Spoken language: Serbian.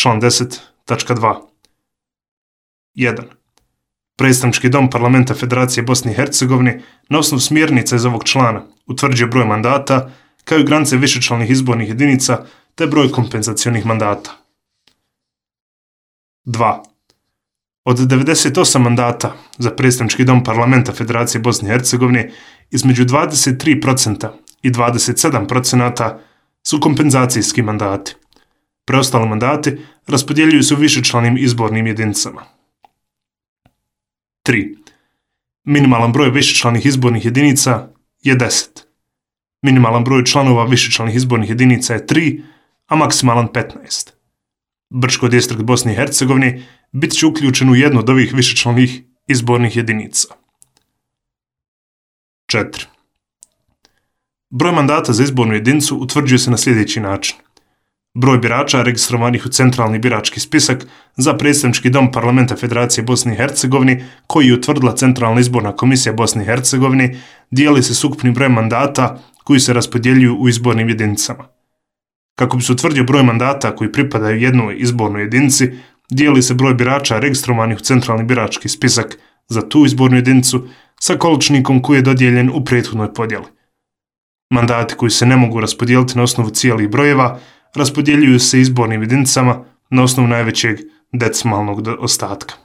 član 10.2. 1. Predstavnički dom Parlamenta Federacije Bosne i Hercegovine na osnovu smjernica iz ovog člana utvrđuje broj mandata kao i granice višečlanih izbornih jedinica te broj kompenzacionih mandata. 2. Od 98 mandata za predstavnički dom Parlamenta Federacije Bosne i Hercegovine između 23% i 27% su kompenzacijski mandati. Preostali mandati raspodjeljuju se u višečlanim izbornim jedinicama. 3. Minimalan broj višečlanih izbornih jedinica je 10. Minimalan broj članova višečlanih izbornih jedinica je 3, a maksimalan 15. Brčko distrikt Bosne i Hercegovine bit će uključen u jednu od ovih višečlanih izbornih jedinica. 4. Broj mandata za izbornu jedinicu utvrđuje se na sljedeći način. Broj birača registrovanih u centralni birački spisak za predstavnički dom Parlamenta Federacije Bosne i Hercegovine koji je utvrdila Centralna izborna komisija Bosne i Hercegovine dijeli se s ukupnim brojem mandata koji se raspodjeljuju u izbornim jedinicama. Kako bi se utvrdio broj mandata koji pripadaju jednoj izbornoj jedinici, dijeli se broj birača registrovanih u centralni birački spisak za tu izbornu jedinicu sa količnikom koji je dodijeljen u prethodnoj podjeli. Mandati koji se ne mogu raspodijeliti na osnovu cijelih brojeva raspodjeljuju se izbornim jedinicama na osnovu najvećeg decimalnog ostatka.